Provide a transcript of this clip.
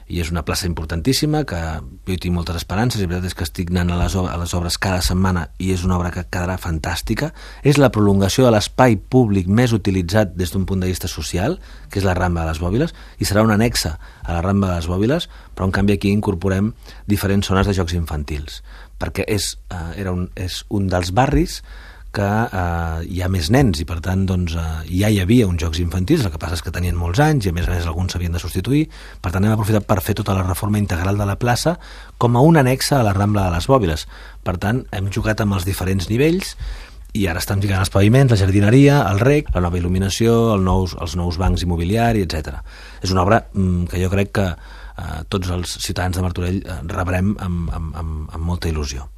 i és una plaça importantíssima que jo hi tinc moltes esperances, i la veritat és que estic anant a les obres cada setmana i és una obra que quedarà fantàstica. És la prolongació de l'espai públic més utilitzat des d'un punt de vista social, que és la Rambla de les Bòbiles, i serà una anexa a la Rambla de les Bòbiles, però en canvi aquí incorporem diferents zones de jocs infantils, perquè és un dels barris que hi ha més nens i per tant ja hi havia uns jocs infantils, el que passa és que tenien molts anys i a més alguns s'havien de substituir. Per tant hem aprofitat per fer tota la reforma integral de la plaça com a una anexa a la Rambla de les Bòbiles. Per tant hem jugat amb els diferents nivells i ara estan lligant els paviments, la jardineria, el rec, la nova il·luminació, els nous bancs immobiliari, etc. És una obra que jo crec que tots els ciutadans de Martorell rebrem amb molta il·lusió.